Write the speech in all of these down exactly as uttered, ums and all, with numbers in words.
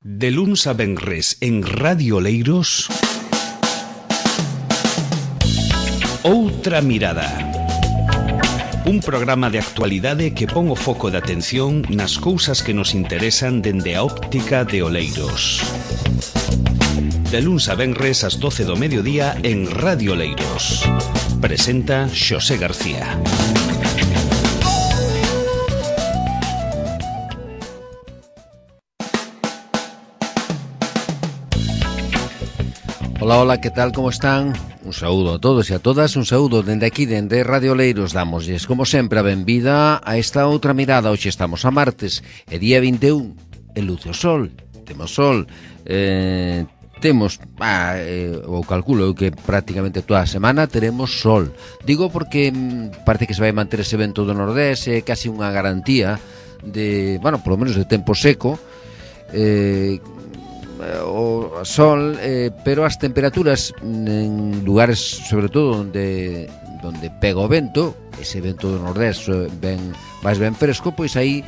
De luns a venres en Radio Oleiros, Outra Mirada. Un programa de actualidade que pon o foco de atención nas cousas que nos interesan dende a óptica de Oleiros. De luns a venres ás doce do mediodía en Radio Oleiros. Presenta Xosé García. Hola, hola, que tal, como están? Un saúdo a todos e a todas, un saúdo dende aquí, dende Radio Oleiros. Damosles, como sempre, a benvida a esta outra mirada. Hoxe estamos a martes, e día vinte e un, e luce o sol, temos sol, eh, temos, ah, eh, o calculo que prácticamente toda a semana teremos sol. Digo porque mm, parece que se vai manter ese vento do Nordés, é casi unha garantía de, bueno, polo menos de tempo seco, eh, o sol, eh, pero as temperaturas en lugares sobre todo onde onde pega o vento, ese vento do Nordés ben máis ben fresco, pois aí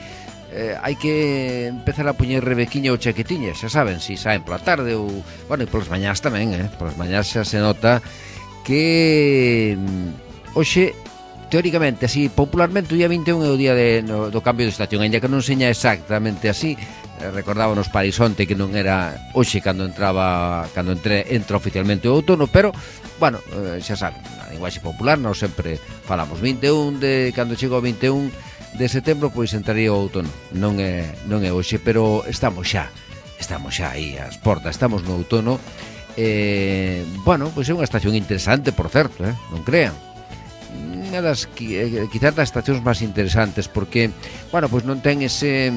eh, hai que empezar a poñer rebequiña ou chaquetiña, xa saben, si saen pola tarde ou, bueno, e polas mañás tamén, eh, polas mañás xa se nota que hoxe teóricamente, así, popularmente o día vinte e un é o día de, no, do cambio de estación, ainda que non seña exactamente así. Recordábamos Parisonte que non era hoxe cando entraba cando entre, entra oficialmente o outono, pero, bueno, xa saben, na linguaxe popular nós sempre falamos vinte e un de, cando chega o vinte e un de setembro, pois entraría o outono. Non é, non é hoxe, pero estamos xa, estamos xa aí ás portas, estamos no outono. Eh, bueno, pois é unha estación interesante, por certo, eh, non crean. Unha das, quizás das estacións máis interesantes, porque, bueno, pois non ten ese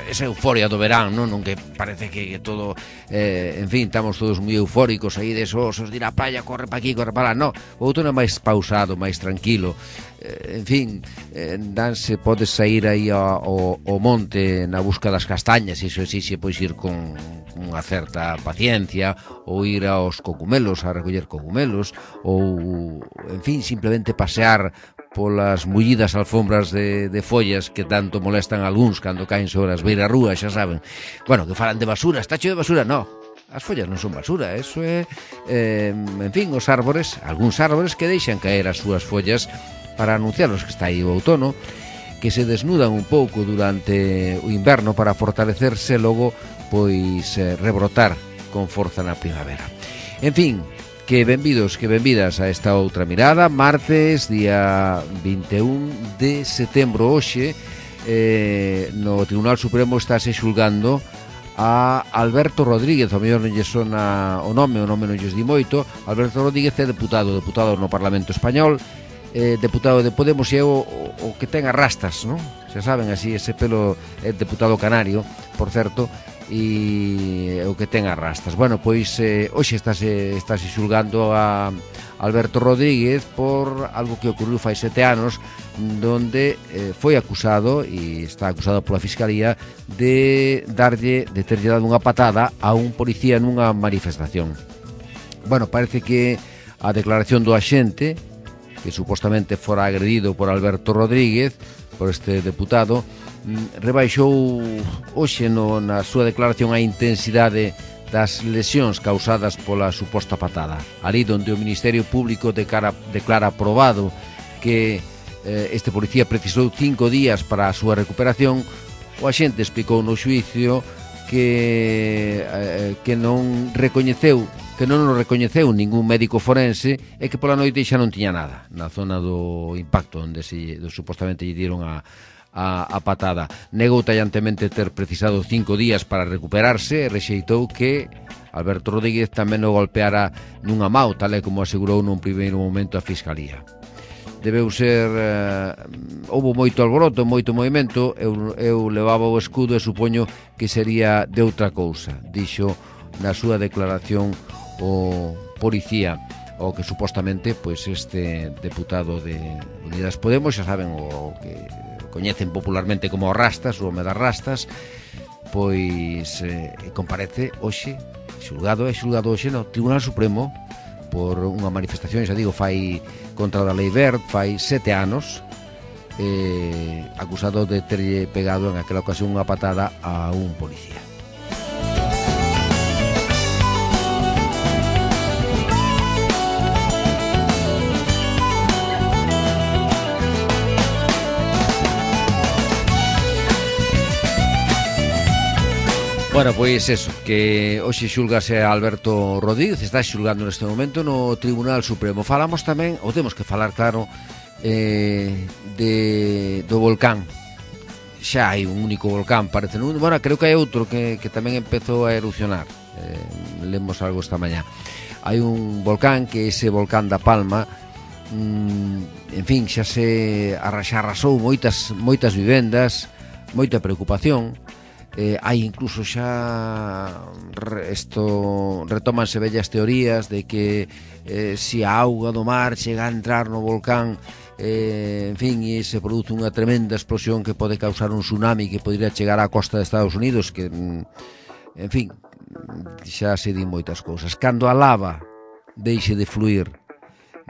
esa euforia do verán, non? Non que parece que, que todo, eh, en fin, estamos todos moi eufóricos aí desosos, de ir á praia, corre pa aquí, corre pa lá. No, o outono é máis pausado, máis tranquilo. Eh, en fin, eh, danse, podes sair aí ao, ao monte na busca das castañas, iso exixe pois ir con unha certa paciencia, ou ir aos cogumelos, a recoller cogumelos, ou, en fin, simplemente pasear polas mullidas alfombras de, de follas que tanto molestan a algúns cando caen sobre as beirarrúas, xa saben. Bueno, que falan de basura, está cheo de basura, no. As follas non son basura, eso é, eh, en fin, os árbores, algúns árbores que deixan caer as súas follas para anunciarnos que está aí o outono, que se desnudan un pouco durante o inverno para fortalecerse logo, pois, eh, rebrotar con forza na primavera. En fin, que benvidos, que benvidas a esta outra mirada. Martes, día vinte e un de setembro. Hoxe, eh, no Tribunal Supremo estáse xulgando a Alberto Rodríguez. O mellor non lle sona o nome, o nome non lles di moito. Alberto Rodríguez é deputado, deputado no Parlamento Español, eh, deputado de Podemos, e é o, o, o que ten as rastas, non? Xa saben, así, ese pelo é deputado canario, por certo, e o que ten as rastas. Bueno, pois eh, hoxe estáse, estáse xulgando a Alberto Rodríguez por algo que ocorreu fai sete anos, donde eh, foi acusado, e está acusado pola Fiscalía, de darlle, de terlle dado unha patada a un policía nunha manifestación. Bueno, parece que a declaración do axente, que supostamente fora agredido por Alberto Rodríguez, por este deputado, rebaixou hoxe no, na súa declaración a intensidade das lesións causadas pola suposta patada. Ali donde o Ministerio Público declara, declara aprobado que eh, este policía precisou cinco días para a súa recuperación, o axente explicou no xuicio que, eh, que non recoñeceu que non o recoñeceu ningún médico forense e que pola noite xa non tiña nada na zona do impacto onde se, do, supostamente lle dieron a A, a patada. Negou tallantemente ter precisado cinco días para recuperarse e rexeitou que Alberto Rodríguez tamén o golpeara nunha mao, tal e como asegurou nun primeiro momento a Fiscalía. Debeu ser... Eh, houve moito alboroto, moito movimento. Eu, eu levaba o escudo e supoño que sería de outra cousa, dixo na súa declaración o policía, o que supostamente pois este deputado de Unidas Podemos, xa saben, o que coñecen popularmente como Rastas, o home das Rastas, pois eh, comparece hoxe, xulgado e xulgado hoxe no Tribunal Supremo por unha manifestación, xa digo, fai contra a Lei Wert, fai sete anos, eh, acusado de terlle pegado en aquela ocasión unha patada a un policía. Bueno, pois eso, que hoxe xulgase a Alberto Rodríguez, está xulgando neste momento no Tribunal Supremo. Falamos tamén, ou temos que falar, claro, eh, de, do volcán. Xa hai un único volcán, parece. Bueno, creo que hai outro que, que tamén empezou a erupcionar. Eh, lemos algo esta mañá. Hai un volcán que é ese volcán da Palma. Mm, en fin, xa se arrasou moitas, moitas vivendas, moita preocupación. Eh, hai incluso xa esto, retómanse vellas teorías de que eh, se a auga do mar chega a entrar no volcán, eh, en fin, e se produce unha tremenda explosión que pode causar un tsunami que podría chegar á costa de Estados Unidos, que, en fin, xa se di moitas cousas. Cando a lava deixe de fluir,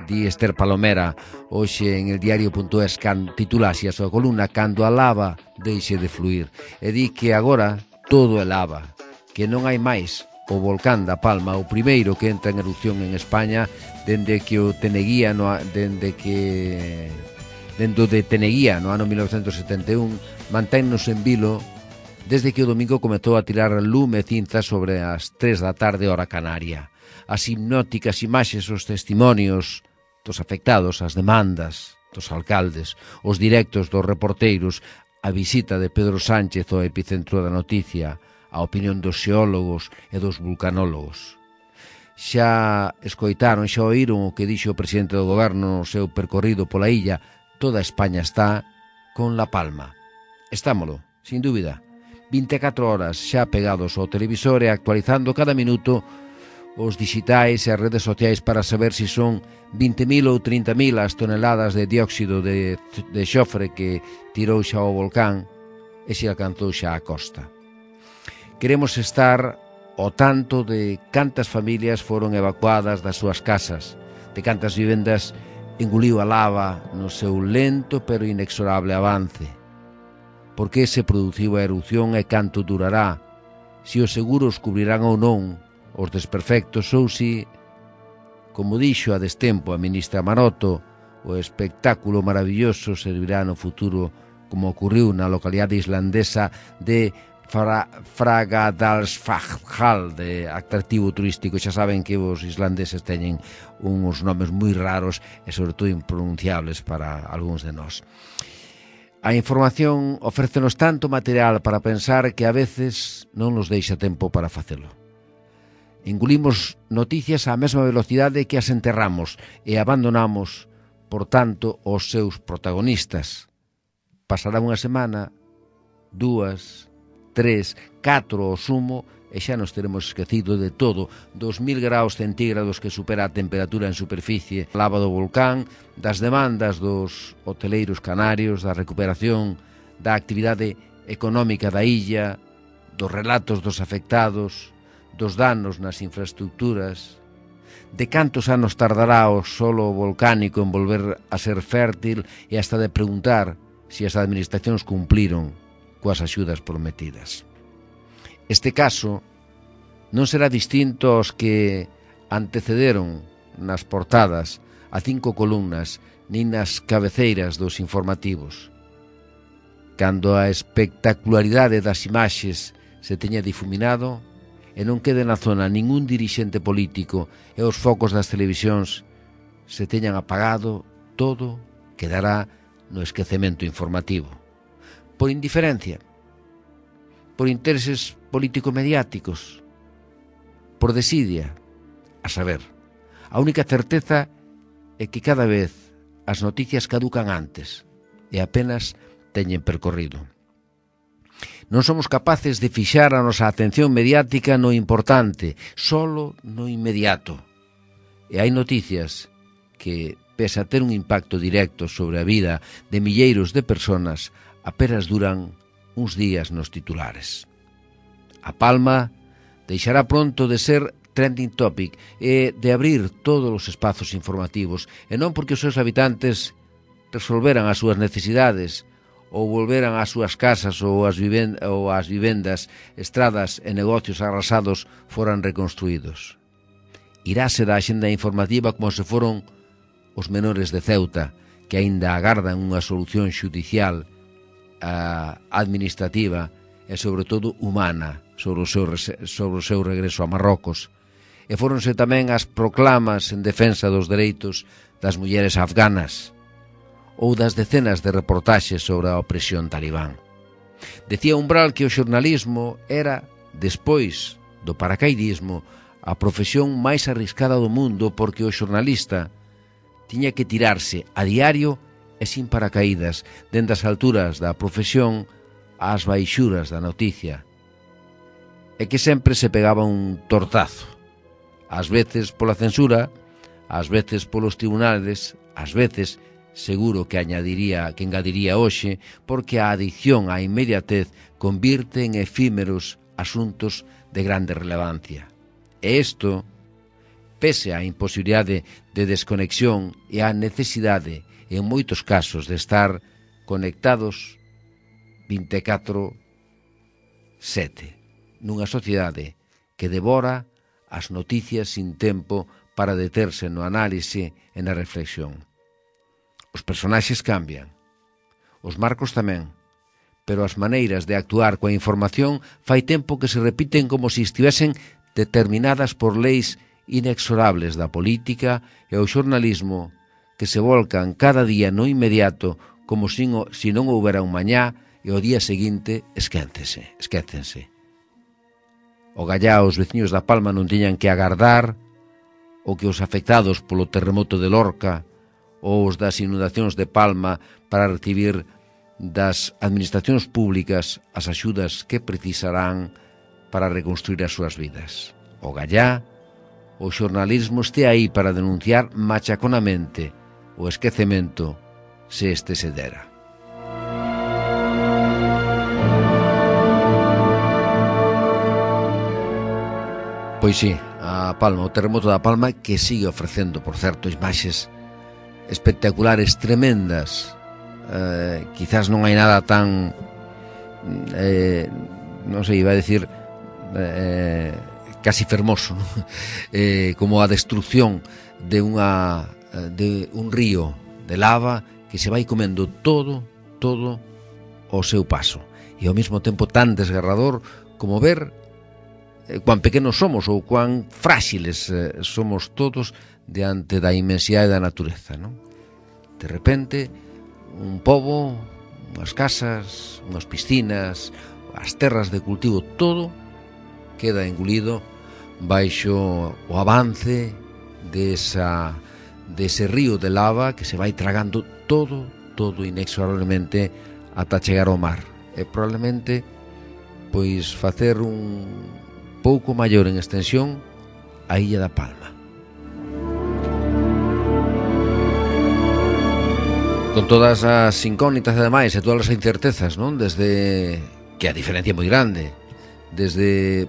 di Esther Palomera hoxe en el diario.es, titulase a súa columna Cando a lava deixe de fluir, e di que agora todo é lava, que non hai máis o volcán da Palma, o primeiro que entra en erupción en España dende que o Teneguía no, dende que dende de Teneguía no ano mil novecentos e setenta e un, manténnos en vilo desde que o domingo comezou a tirar lume e cinza sobre as tres da tarde hora canaria. As hipnóticas imaxes, os testimonios dos afectados, as demandas dos alcaldes, os directos dos reporteiros, a visita de Pedro Sánchez ao epicentro da noticia, a opinión dos xeólogos e dos vulcanólogos. Xa escoitaron, xa oíron o que dixo o presidente do goberno no seu percorrido pola illa. Toda España está con La Palma. Estámolo, sin dúbida. vinte e catro horas xa pegados ao televisor e actualizando cada minuto os digitais e as redes sociais para saber se si son vinte mil ou trinta mil as toneladas de dióxido de, de xofre que tirou xa o volcán e se alcanzou xa a costa. Queremos estar ao tanto de cantas familias foron evacuadas das súas casas, de cantas vivendas engoliu a lava no seu lento pero inexorable avance. Por que se produciu a erupción e canto durará, se os seguros cubrirán ou non os desperfectos ou si, como dixo a destempo a ministra Maroto, o espectáculo maravilloso servirá no futuro como ocurriu na localidade islandesa de Fra, Fagradalsfjall, de atractivo turístico. Xa saben que os islandeses teñen uns nomes moi raros e sobre todo impronunciables para algúns de nós. A información ofrécenos tanto material para pensar que a veces non nos deixa tempo para facelo. Engulimos noticias á mesma velocidade que as enterramos e abandonamos, por tanto, os seus protagonistas. Pasará unha semana, dúas, tres, catro ao sumo e xa nos teremos esquecido de todo, dos mil graus centígrados que supera a temperatura en superficie, lava do volcán, das demandas dos hoteleiros canarios, da recuperación da actividade económica da illa, dos relatos dos afectados, dos danos nas infraestructuras, de cantos anos tardará o solo volcánico en volver a ser fértil e hasta de preguntar se as administracións cumpliron coas axudas prometidas. Este caso non será distinto aos que antecederon nas portadas a cinco columnas nin nas cabeceiras dos informativos. Cando a espectacularidade das imaxes se teña difuminado e non quede na zona ningún dirixente político e os focos das televisións se teñan apagado, todo quedará no esquecemento informativo. Por indiferencia, por intereses político-mediáticos, por desidia, a saber. A única certeza é que cada vez as noticias caducan antes e apenas teñen percorrido. Non somos capaces de fixar a nosa atención mediática no importante, solo no inmediato. E hai noticias que, pese a ter un impacto directo sobre a vida de milleiros de personas, apenas duran uns días nos titulares. A Palma deixará pronto de ser trending topic e de abrir todos os espazos informativos, e non porque os seus habitantes resolveran as súas necesidades ou volveran ás súas casas ou as, viven- ou as vivendas, estradas e negocios arrasados foran reconstruídos. Iráse da axenda informativa como se foron os menores de Ceuta, que aínda agardan unha solución xudicial administrativa e, sobre todo, humana sobre o seu, sobre o seu regreso a Marrocos. E fóronse tamén as proclamas en defensa dos dereitos das mulleres afganas ou das decenas de reportaxes sobre a opresión talibán. Decía Umbral que o xornalismo era, despois do paracaidismo, a profesión máis arriscada do mundo porque o xornalista tiña que tirarse a diario e sin paracaídas dende as alturas da profesión ás baixuras da noticia, e que sempre se pegaba un tortazo, ás veces pola censura, ás veces polos tribunales, ás veces, seguro que añadiría que engadiría hoxe, porque a adicción á inmediatez convirte en efímeros asuntos de grande relevancia. E isto, pese á imposibilidade de desconexión e á necesidade, en moitos casos, de estar conectados vinte e catro sete, nunha sociedade que devora as noticias sin tempo para deterse no análise e na reflexión. Os personaxes cambian, os marcos tamén, pero as maneiras de actuar coa información fai tempo que se repiten como se estivesen determinadas por leis inexorables da política e o xornalismo que se volcan cada día no inmediato como se si non houbera un mañá e o día seguinte esquécense, esquécense. O gallá os veciños da Palma non tiñan que agardar o que os afectados polo terremoto de Lorca ou os das inundacións de Palma para recibir das administracións públicas as axudas que precisarán para reconstruir as súas vidas. O gallá, o xornalismo este aí para denunciar machaconamente o esquecemento se este se dera. Pois sí, a Palma, o terremoto da Palma, que sigue ofrecendo, por certo, imaxes espectaculares, tremendas. Eh, quizás non hai nada tan eh, non sei, iba a decir eh, casi fermoso, ¿no? eh, como a destrucción de unha de un río de lava que se vai comendo todo, todo o seu paso, e ao mesmo tempo tan desgarrador como ver eh, cuán pequenos somos ou cuán fráxiles eh, somos todos diante da inmensidade da natureza, ¿no? De repente, un pobo, unhas casas, unhas piscinas, as terras de cultivo, todo queda engolido baixo o avance desa, dese río de lava que se vai tragando todo, todo inexorablemente ata chegar ao mar. E probablemente, pois, facer un pouco maior en extensión a Illa da Palma. Con todas as incógnitas e demais e todas as incertezas, non? Desde que a diferencia é moi grande, desde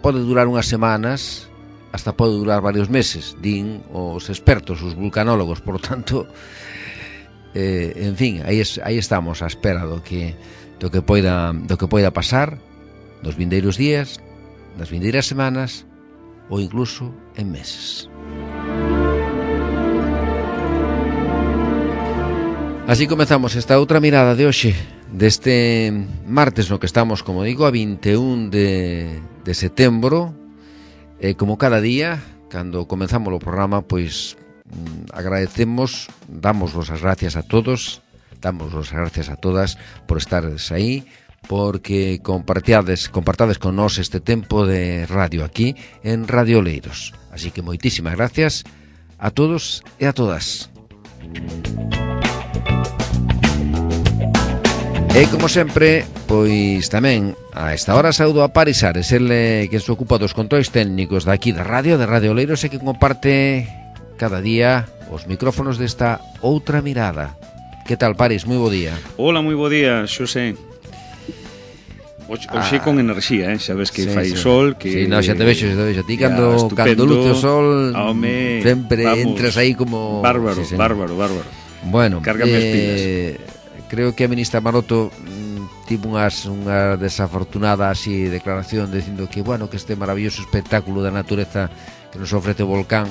pode durar unhas semanas hasta pode durar varios meses, din os expertos, os vulcanólogos, por tanto, eh, en fin, aí, es, aí estamos á espera do que do que poida do que poida pasar nos vindeiros días, nas vindeiras semanas ou incluso en meses. Así comezamos esta outra mirada de hoxe, deste martes no que estamos, como digo, a vinte e un de, de setembro. E como cada día, cando comenzamos o programa, pois agradecemos, damos as gracias a todos, damos as gracias a todas por estares aí, porque compartades, compartades con nós este tempo de radio aquí en Radio Oleiros. Así que moitísimas gracias a todos e a todas. E como sempre, pois tamén a esta hora saúdo a Paris Ares, ele que se ocupa dos controis técnicos daqui da radio, de Radio Oleiros, e que comparte cada día os micrófonos desta outra mirada. Que tal, Paris? Moi bo día. Hola, moi bo día, Xosé. Hoxe ah, con enerxía, eh? Xa ves que sí, fai sí. sol que... Sí, no, xa te vexo, xa te vexo. Ti cando, cando luce o sol home, sempre vamos, entras aí como... Bárbaro, sí, bárbaro, bárbaro. Bueno, cárgame as pilas. Eh, creo que a ministra Maroto mm, tivo unhas, unha desafortunada así declaración dicindo que, bueno, que este maravilloso espectáculo da natureza que nos ofrece o volcán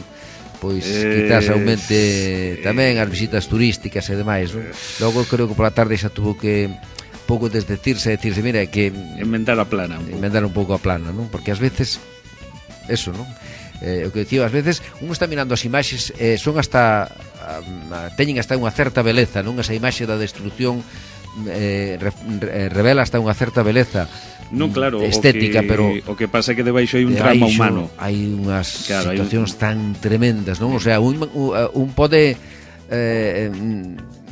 pois eh, quizás aumente eh, tamén as visitas turísticas e demais, non? Logo creo que pola tarde xa tuvo que pouco desdecirse e decirse, mira, que inventar a plana un inventar un pouco a plana, non? Porque ás veces eso, non? Eh, o que dicía, ás veces un está mirando as imaxes, eh, son hasta a, teñen hasta unha certa beleza, non? Esa imaxe da destrucción eh, re, re, revela hasta unha certa beleza non, claro, estética, o que, pero o que pasa é que debaixo hai un drama debaixo humano. Hai unhas claro, situacións un... tan tremendas, non? O sea, un, un pode eh,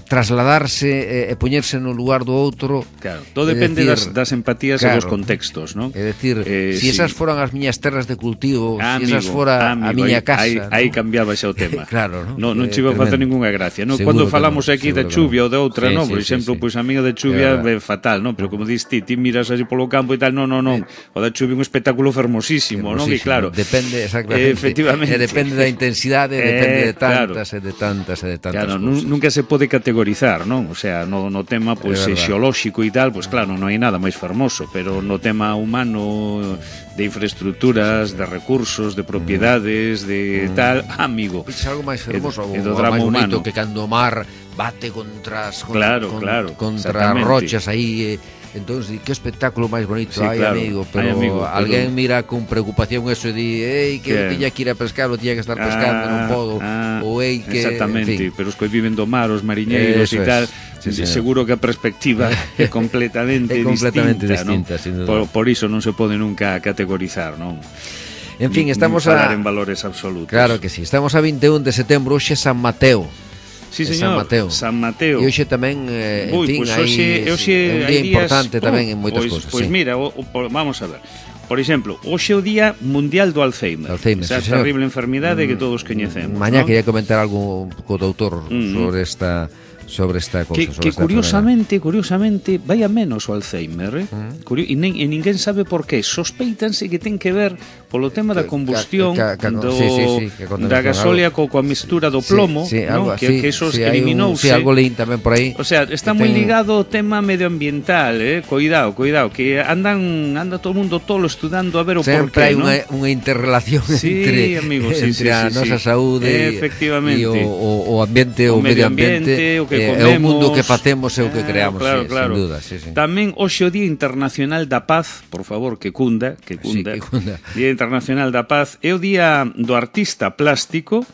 trasladarse e, e poñerse no lugar do outro. Claro, todo depende decir, das, das empatías claro, e dos contextos, non? É dicir, eh, si sí. esas foran as miñas terras de cultivo, ah, si amigo, esas fora amigo, a miña aí, casa, aí, ¿no? aí cambiaba xa o tema. Claro, non? Non, non eh, chiva a facer ningunha gracia, non? Cando falamos no, aquí de chuvia ou de outra, sí, non? Sí, Por sí, exemplo, sí. pois pues, a miña de chuvia é fatal, non? Pero como dis ti, ti miras así polo campo e tal, non, non, non. O da chuvia é un espectáculo fermosísimo, non? E claro, depende exactamente. Eh, efectivamente. E depende da intensidade, eh, depende de tantas claro. e de tantas e de tantas claro, cousas. Nunca se pode categorizar, non? O sea, no, no tema pois pues, xeolóxico e tal, pois pues, claro, non hai nada máis fermoso, pero no tema humano, de infraestructuras, de recursos, de propiedades, de mm. tal, amigo. É algo máis fermoso, e, e o, o máis bonito humano. Que cando o mar bate contra as con, claro, con, claro, contra rochas aí, eh, entón, que espectáculo máis bonito, sí, ai, claro, amigo, pero ay, amigo, alguén pero... mira con preocupación eso e di, ei, que eu tiña que ir a pescar, ou tiña que estar pescando, ah, non podo, ah, ou ei, que... Exactamente, en fin. Pero os que viven do mar, os mariñeiros e tal, sí, sí, seguro que a perspectiva é completamente, é completamente distinta, distinta, ¿no? Por, por iso non se pode nunca categorizar, non? En fin, estamos a falar en valores absolutos. Claro que sí, estamos a vinte e un de setembro, hoxe San Mateo. Sí, señor, San Mateo. San Mateo. E hoxe tamén, eh, en Uy, fin, pues hai hoxe, un día importante días, tamén oh, en moitas pues, cousas. Pois pues sí. mira, o, o, vamos a ver. Por exemplo, hoxe é o Día Mundial do Alzheimer. Alzheimer, esa sí, terrible enfermidade mm, que todos coñecemos. Mañá ¿no? quería comentar algo co doutor mm. sobre esta sobre esta cousa, que, sobre que esta curiosamente, enfermedad. curiosamente vai a menos o Alzheimer, eh? mm. Curio, e, nin, e ninguén sabe por qué. Sospeitanse que ten que ver polo tema da combustión que, que, que, do, sí, sí, sí, que da gasolia co, coa mistura do plomo, sí, sí, ¿no? algo, que, sí, que eso sí, eliminouse. Sí, algo leín tamén por aí. O sea, está moi ten... ligado ao tema medioambiental, eh? Cuidado, cuidado, que andan anda todo o mundo tolo estudando a ver o sempre porqué, hai ¿no? unha, unha interrelación sí, entre, amigo, sí, entre sí, a sí, nosa sí. saúde e o, o, o ambiente, o, o medio ambiente, o que eh, comemos, o mundo que facemos e o que creamos, claro, sí, claro. sin duda, sí, sí. Tamén hoxe o Día Internacional da Paz, por favor, que cunda, que cunda. Sí, que cunda. Día Internacional da Paz é o Día do Artista Plástico.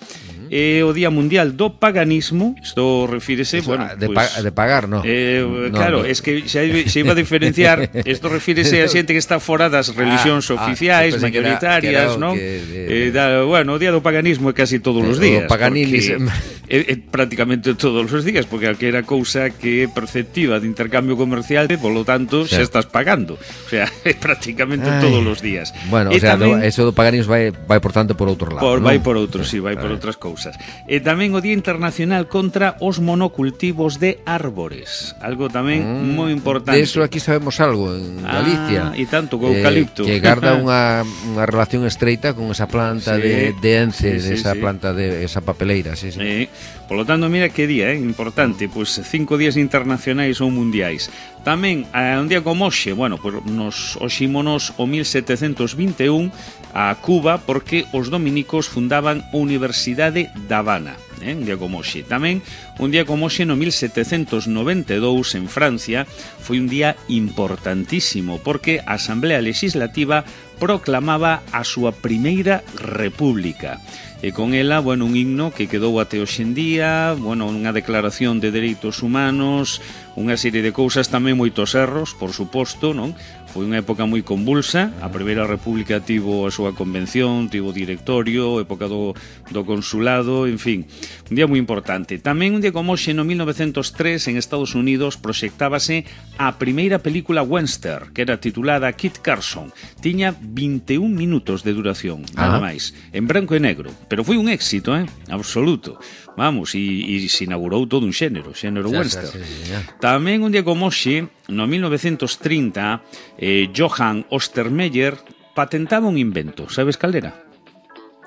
É o Día Mundial do Paganismo. Isto refírese, Eso, bueno, de, pues, pa de pagar, no. Eh, no claro, no. es que se, se iba a diferenciar. Isto refírese a xente que está fora das religións ah, oficiais, ah, mayoritarias, non? Que, eh, da, bueno, o Día do Paganismo é casi todos os días. O paganinis é, é prácticamente todos os días, porque calquera cousa que é perceptiva de intercambio comercial, polo tanto, xa estás pagando. O sea, é prácticamente Ay. todos os días. Bueno, e o sea, tamén, do, eso do paganismo vai, vai por tanto por outro lado, por, ¿no? Vai por outros, sí, vai por outras cousas. E tamén o Día Internacional contra os monocultivos de árbores. Algo tamén mm, moi importante. De eso aquí sabemos algo en Galicia. Ah, e tanto, co eucalipto. Eh, que garda unha, unha relación estreita con esa planta sí, de, de ence, sí, sí, de esa sí. planta de esa papeleira, sí, sí. Eh, polo tanto, mira que día, eh, importante, pois pues, cinco días internacionais ou mundiais. Tamén, a un día como hoxe, bueno, pues, nos oxímonos o mil setecentos vinte e un a Cuba porque os dominicos fundaban a Universidade da Habana. Eh, un día como hoxe. Tamén, un día como hoxe no mil setecentos noventa e dous en Francia foi un día importantísimo porque a Asamblea Legislativa proclamaba a súa primeira república. E con ela, bueno, un himno que quedou até hoxe en día, bueno, unha declaración de dereitos humanos, unha serie de cousas, tamén moitos erros, por suposto, non? Foi unha época moi convulsa, a Primeira República tivo a súa convención, tivo directorio, época do, do consulado, en fin, un día moi importante. Tamén un día como hoxe, no mil novecentos tres, en Estados Unidos, proxectábase a primeira película western, que era titulada Kit Carson. Tiña vinte e un minutos de duración, nada máis, en branco e negro, pero foi un éxito, eh? Absoluto. Vamos, e, e se inaugurou todo un xénero, xénero xa, western. Xa, sí, xa. Tamén un día como hoxe, no mil novecentos trinta, eh, Johann Ostermeyer patentaba un invento. Sabes cal era?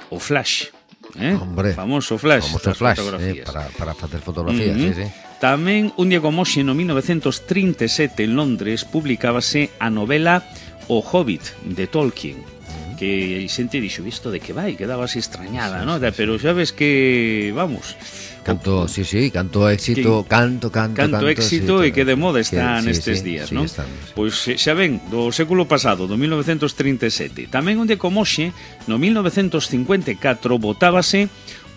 O flash. Eh? Hombre, famoso flash. Famoso flash, eh, para, para facer fotografías, uh -huh. sí, sí. Tamén un día como hoxe, no mil novecentos trinta e sete, en Londres, publicábase a novela O Hobbit, de Tolkien. que a xente dixo, isto de que vai, quedaba así extrañada, sí, ¿no? Sí, pero xa ves que, vamos... Canto, sí, sí, canto éxito, que, canto, canto, canto, canto éxito sí, e que de moda está que, nestes sí, días, sí, non? Sí, sí. Pois xa ven, do século pasado, do mil novecentos trinta e sete. Tamén onde como hoxe, no mil novecentos cincuenta e catro, botábase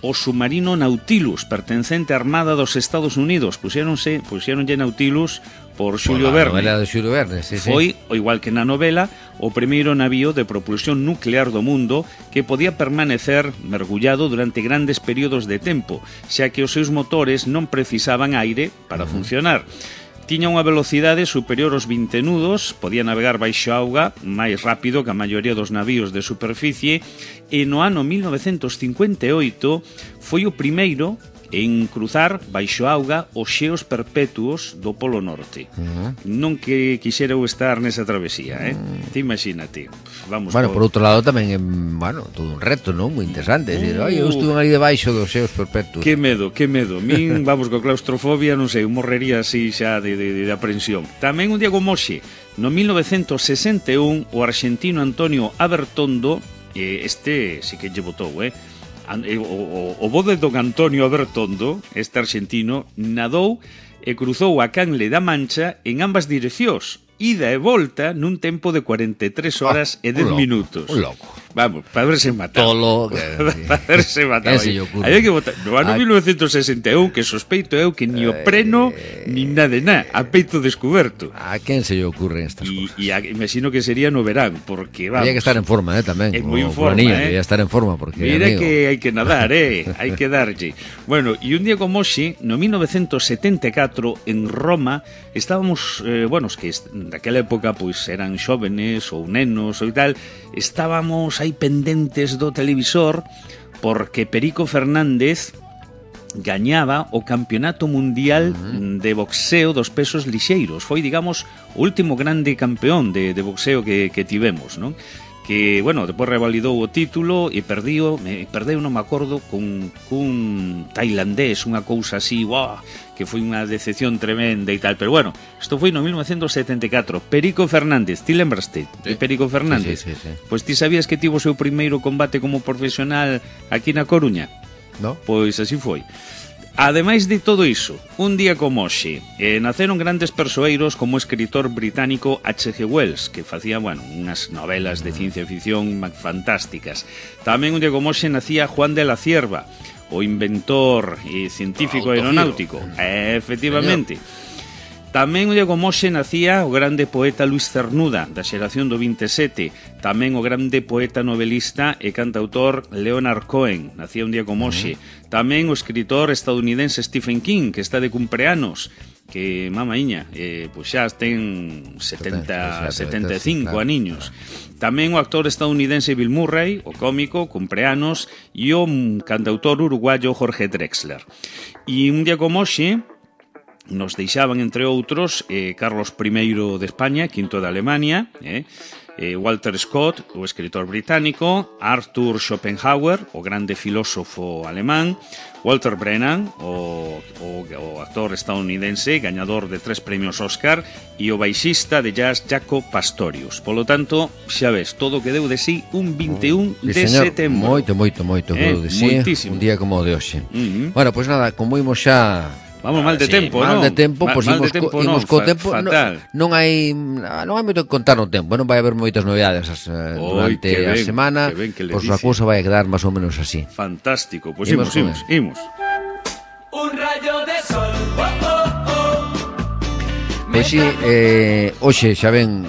o submarino Nautilus, pertencente á Armada dos Estados Unidos. Puxéronse, puxéronlle Nautilus por Xulio Verne. A novela de Xulio Verne, sí, Foi, sí. o igual que na novela, o primeiro navío de propulsión nuclear do mundo que podía permanecer mergullado durante grandes períodos de tempo, xa que os seus motores non precisaban aire para uh-huh. funcionar. Tiña unha velocidade superior aos vinte nudos, podía navegar baixo auga máis rápido que a maioría dos navíos de superficie, e no ano mil novecentos cincuenta e oito foi o primeiro en cruzar baixo auga os xeos perpetuos do Polo Norte. Uh-huh. Non que quixera eu estar nesa travesía, eh? Uh-huh. Te imagínate. Vamos bueno, por... por outro lado tamén é, bueno, todo un reto, non? Moi interesante. Uh... Decir, ai, eu estuve ali debaixo dos xeos perpetuos. Que medo, que medo. Min, vamos, con claustrofobia, non sei, morrería así xa de, de, de aprensión. Tamén un día como hoxe, no mil novecentos sesenta e un, o argentino Antonio Abertondo, eh, este sí que lle botou, eh? O, o, o bo de don Antonio Abertondo, este argentino, nadou e cruzou a Canle da Mancha en ambas direccións, ida e volta nun tempo de cuarenta e tres horas ah, e dez minutos. Un loco. Vamos, para verse matar. Tolo. Para verse matar. Hai que botar. No ano mil novecentos sesenta e un, que sospeito eu que ni o preno, eh... ni nada de nada, a peito descoberto. A quen se lle ocurren estas y, cosas? E imagino que sería no verán, porque vamos... Había que estar en forma, eh, tamén. É moi en forma, planilla, eh. Había que estar en forma, porque, mira amigo... que hai que nadar, eh. Hai que darlle. Bueno, e un día como hoxe, no mil novecentos setenta e catro, en Roma, estábamos, eh, bueno, que daquela época, pois, eran xóvenes ou nenos ou tal, estábamos aí pendentes do televisor porque Perico Fernández gañaba o campeonato mundial uh-huh. de boxeo dos pesos lixeiros. Foi, digamos, o último grande campeón de, de boxeo que, que tivemos, non? Que, bueno, depois revalidou o título e perdiu, me perdeu, non me acordo, con cun tailandés, unha cousa así, uau, que foi unha decepción tremenda e tal, pero bueno, isto foi no mil novecentos setenta e catro. Perico Fernández, ti lembraste de Perico Fernández? Sí, sí, sí, sí. Pois ti sabías que tivo o seu primeiro combate como profesional aquí na Coruña? No. Pois así foi. Ademais de todo iso, un día como hoxe, eh, naceron grandes persoeiros como o escritor británico H G Wells, que facía, bueno, unhas novelas de ciencia ficción fantásticas. Tamén un día como hoxe nacía Juan de la Cierva, o inventor e científico aeronáutico. Eh, efectivamente. Señor. Tamén un día como hoxe nacía o grande poeta Luis Cernuda, da xeración do vinte e sete. Tamén o grande poeta novelista e cantautor Leonard Cohen, nacía un día como hoxe. Tamén o escritor estadounidense Stephen King, que está de cumpleanos, que, mamaiña, eh, pois xa ten setenta, setenta e cinco aniños. Tamén o actor estadounidense Bill Murray, o cómico, cumpleanos, e o cantautor uruguayo Jorge Drexler. E un día como hoxe nos deixaban, entre outros, eh, Carlos primeiro de España, quinto de Alemania, eh, eh, Walter Scott, o escritor británico, Arthur Schopenhauer, o grande filósofo alemán, Walter Brennan, o, o, o actor estadounidense, gañador de tres premios Oscar, e o baixista de jazz Jaco Pastorius. Polo tanto, xa ves, todo que deu de sí un vinte e un sí, de señor, setembro. Moito, moito, moito que eh, deu de sí, moitísimo. Un día como o de hoxe. Uh-huh. Bueno, pois pues nada, como imos xa... Vamos mal de sí, tempo, mal non? de tempo, mal, pois mal imos, de tempo, co, imos non, co fa, tempo, fatal. Non, non hai non hai moito que contar no tempo, non vai haber moitas novidades uh, durante Oi, a ben, semana, pois a cousa vai quedar máis ou menos así. Fantástico, pois pues imos, imos, imos. Un rayo de sol, oh, oh, oh. Pois si, eh, hoxe xa ven,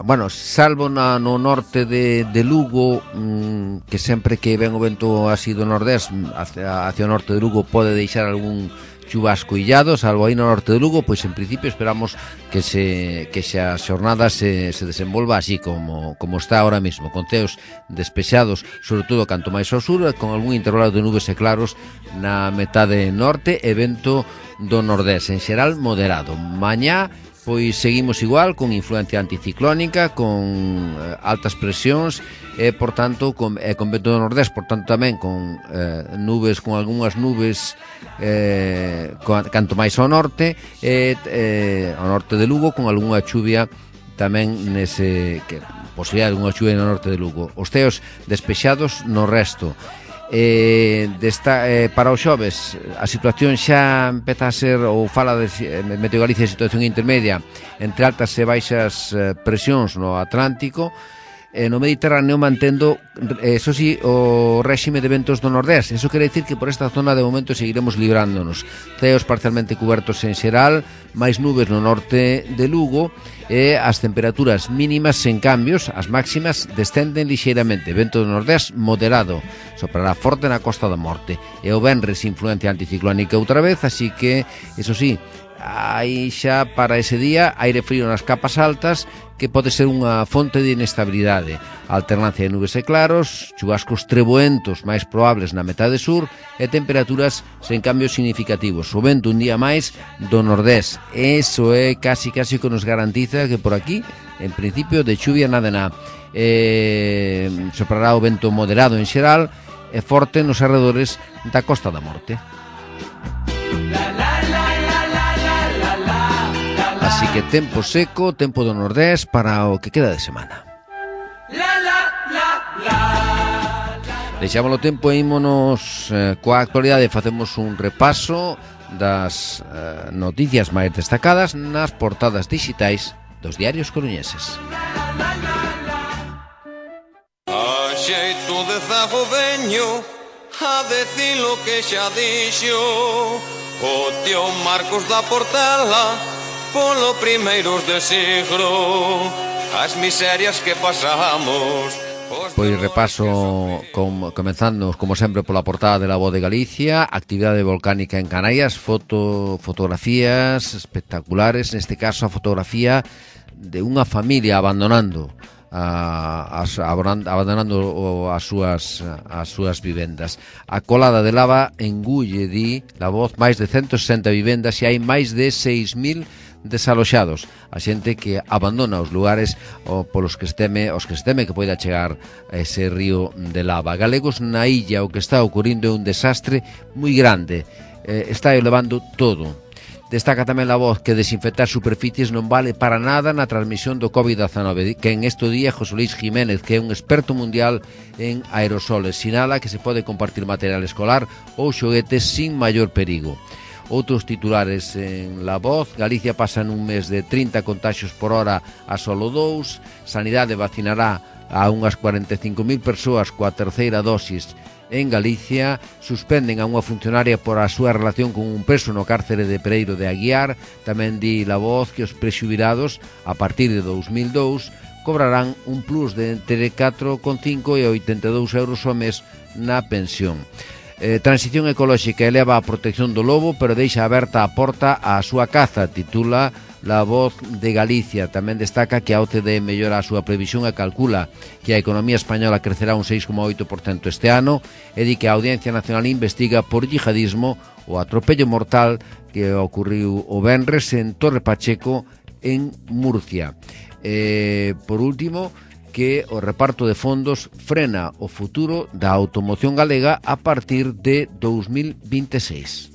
bueno, salvo na, no norte de, de Lugo, mm, que sempre que ven o vento así do nordés hacia, hacia o norte de Lugo pode deixar algún chubasco illado, salvo aí no norte de Lugo, pois en principio esperamos que se que xa a xornada se, se desenvolva así como, como está ahora mismo, con ceos despexados, sobre todo canto máis ao sur, con algún intervalo de nubes e claros na metade norte e vento do nordés, en xeral moderado. Mañá pois seguimos igual, con influencia anticiclónica, con eh, altas presións e, por tanto, con, eh, con vento do nordés, por tanto, tamén con eh, nubes, con algunhas nubes eh, con, canto máis ao norte e eh, ao norte de Lugo, con algunha chuvia tamén nese que posibilidade dunha chuvia no norte de Lugo. Os ceos despexados no resto. Eh, desta, eh, para os xoves a situación xa empeza a ser, ou fala de Meteo Galicia, de situación intermedia entre altas e baixas eh, presións no Atlántico. Eh, no Mediterráneo mantendo, eso sí, o réxime de ventos do nordés. Eso quere dicir que por esta zona de momento seguiremos librándonos. Ceos parcialmente cubertos en xeral, máis nubes no norte de Lugo, e as temperaturas mínimas sen cambios, as máximas descenden lixeiramente. Vento do nordés moderado, soprará forte na Costa da Morte, e o venres influencia anticiclónica outra vez, así que, eso sí, hai xa para ese día aire frío nas capas altas, que pode ser unha fonte de inestabilidade. Alternancia de nubes e claros, chubascos treboentos máis probables na metade sur e temperaturas sen cambios significativos. O vento un día máis do nordés. Eso é casi casi que nos garantiza que por aquí, en principio, de chuvia nada na. Eh, soprará o vento moderado en xeral e forte nos arredores da Costa da Morte. Así que tempo seco, tempo do nordés para o que queda de semana. Deixámoslo tempo e ímonos eh, coa actualidade. Facemos un repaso das eh, noticias máis destacadas nas portadas digitais dos diarios coruñeses. A xeito de zago veño a decir lo que xa dixo o tío Marcos da Portela polo primeiros de siglo, as miserias que pasamos. Pois repaso com, comenzando como sempre pola portada de La Voz de Galicia. Actividade volcánica en Canarias, foto, fotografías espectaculares, neste caso a fotografía de unha familia abandonando a, a, abandonando as súas as súas vivendas. A colada de lava engulle, di La Voz, máis de ciento sesenta vivendas e hai máis de seis mil desaloxados, a xente que abandona os lugares o polos que se teme, os que se teme que poida chegar a ese río de lava. Galegos na illa, o que está ocurrindo é un desastre moi grande, eh, está elevando todo. Destaca tamén La Voz que desinfectar superficies non vale para nada na transmisión do covid diecinueve, que en este día José Luis Jiménez, que é un experto mundial en aerosoles, sinala que se pode compartir material escolar ou xoguetes sin maior perigo. Outros titulares en La Voz: Galicia pasa nun mes de trinta contaxios por hora a solo dous, Sanidade vacinará a unhas cuarenta e cinco mil persoas coa terceira dosis en Galicia, suspenden a unha funcionaria por a súa relación con un preso no cárcere de Pereiro de Aguiar. Tamén di La Voz que os prexubilados, a partir de dous mil dous, cobrarán un plus de entre catro coma cinco e oitenta e dous euros ao mes na pensión. Eh, transición ecolóxica eleva a protección do lobo, pero deixa aberta a porta á súa caza, titula La Voz de Galicia. Tamén destaca que a O C D E mellora a súa previsión e calcula que a economía española crecerá un seis coma oito por cento este ano, e di que a Audiencia Nacional investiga por yihadismo o atropello mortal que ocorriu o venres en Torre Pacheco, en Murcia. Eh, por último, que o reparto de fondos frena o futuro da automoción galega a partir de dous mil vinte e seis.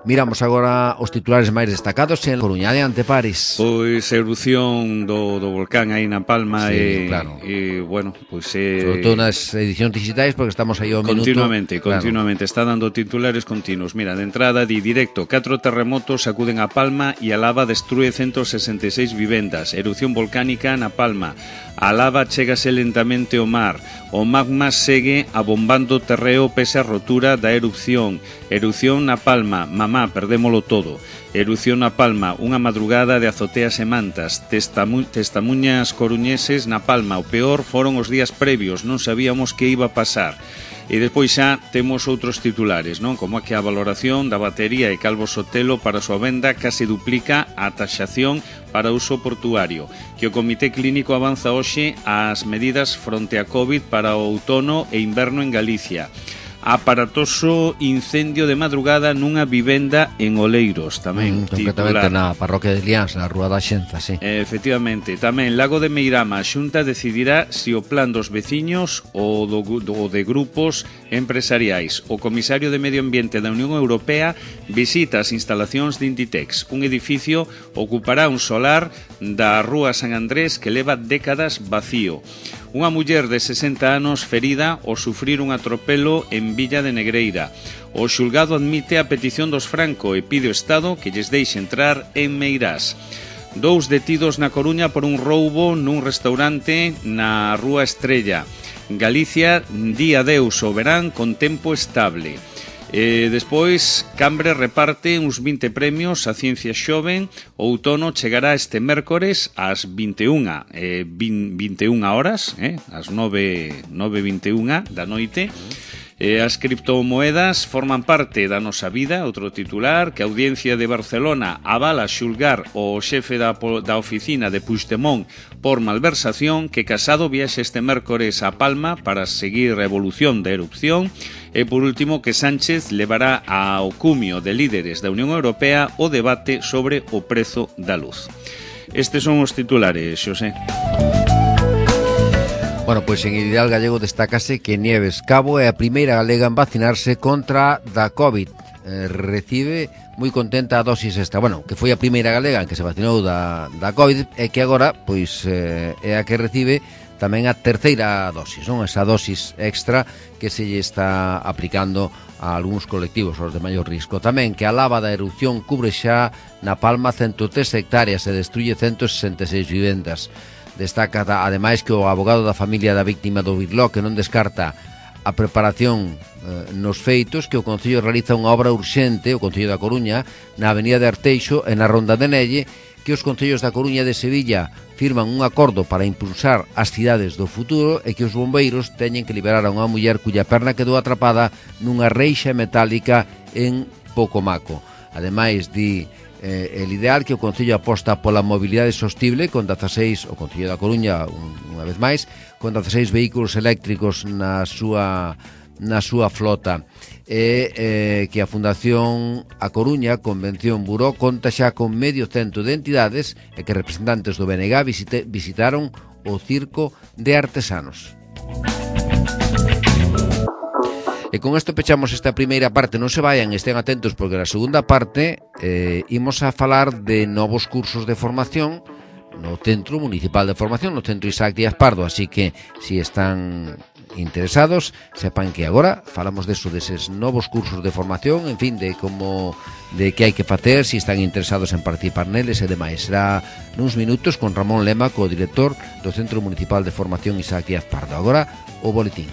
Miramos agora os titulares máis destacados en Coruña. De Anteparis. Pois a erupción do, do volcán aí na Palma, sí, e, claro. e, bueno, pois eh, sobre todo nas edicións digitais, porque estamos aí ao minuto. Continuamente, claro. continuamente, está dando titulares continuos. Mira, de entrada, di directo, catro terremotos sacuden a Palma e a lava destrue ciento sesenta e seis vivendas. Erupción volcánica na Palma. A lava chégase lentamente ao mar. O magma segue abombando terreo pese a rotura da erupción. Erupción na Palma, mamá, perdémolo todo. Erupción na Palma, unha madrugada de azoteas e mantas. Testamu testamuñas coruñeses na Palma. O peor foron os días previos, non sabíamos que iba a pasar. E despois xa temos outros titulares, non? Como que a valoración da batería e Calvo Sotelo para a súa venda case duplica a taxación para uso portuario. Que o Comité Clínico avanza hoxe as medidas fronte a COVID para o outono e inverno en Galicia. aparatoso incendio de madrugada nunha vivenda en Oleiros, tamén. Mm, concretamente na parroquia de Liáns, na Rúa da Xenza, sí. Eh, efectivamente, tamén Lago de Meirama, a Xunta decidirá se o plan dos veciños ou do, do de grupos empresariais. O comisario de Medio Ambiente da Unión Europea visita as instalacións de Inditex. Un edificio ocupará un solar da Rúa San Andrés que leva décadas vacío. Unha muller de sesenta anos ferida ao sufrir un atropelo en Villa de Negreira. O xulgado admite a petición dos Franco e pide ao Estado que lles deixe entrar en Meirás. Dous detidos na Coruña por un roubo nun restaurante na Rúa Estrella. Galicia di adeus ao verán con tempo estable. E despois, Cambre reparte uns vinte premios a Ciencia Xoven. O outono chegará este mércores ás vinte e unha, eh, vinte e unha horas, eh, ás nove e vinte e unha da noite. E as criptomoedas forman parte da nosa vida. Outro titular, que a Audiencia de Barcelona avala xulgar o xefe da, da oficina de Puigdemont por malversación, que Casado viaxe este mércores a Palma para seguir a evolución da erupción. E por último, que Sánchez levará ao cumio de líderes da Unión Europea o debate sobre o prezo da luz. Estes son os titulares, Xosé. Bueno, pois en Ideal Gallego destácase que Nieves Cabo é a primeira galega en vacinarse contra da COVID. Eh, recibe moi contenta a dosis esta. Bueno, que foi a primeira galega en que se vacinou da, da COVID e que agora pois eh, é a que recibe tamén a terceira dosis, non? Esa dosis extra que se lle está aplicando a algúns colectivos, os de maior risco. Tamén que a lava da erupción cubre xa na Palma ciento tres hectáreas e destruye ciento sesenta e seis vivendas. Destaca ademais que o abogado da familia da víctima do Birló que non descarta a preparación eh, nos feitos, que o Concello realiza unha obra urxente, o Concello da Coruña, na avenida de Arteixo e na Ronda de Nelle, que os concellos da Coruña e de Sevilla firman un acordo para impulsar as cidades do futuro e que os bombeiros teñen que liberar a unha muller cuya perna quedou atrapada nunha reixa metálica en Pocomaco. Ademais, di Eh, el ideal que o Concello aposta pola mobilidade sostible con dezaseis, o Concello da Coruña un, unha vez máis, con dezaseis vehículos eléctricos na súa na súa flota e eh, que a Fundación A Coruña Convención Buró conta xa con medio cento de entidades e que representantes do B N G visite, visitaron o Circo de Artesanos. E con isto pechamos esta primeira parte. Non se vayan, estén atentos, porque na segunda parte eh, imos a falar de novos cursos de formación no Centro Municipal de Formación, no Centro Isaac Díaz Pardo. Así que, si están interesados, sepan que agora falamos deso, deses novos cursos de formación, en fin, de como de que hai que facer, si están interesados en participar neles e demais. Será nuns minutos con Ramón Lema, co director do Centro Municipal de Formación Isaac Díaz Pardo. Agora, o boletín.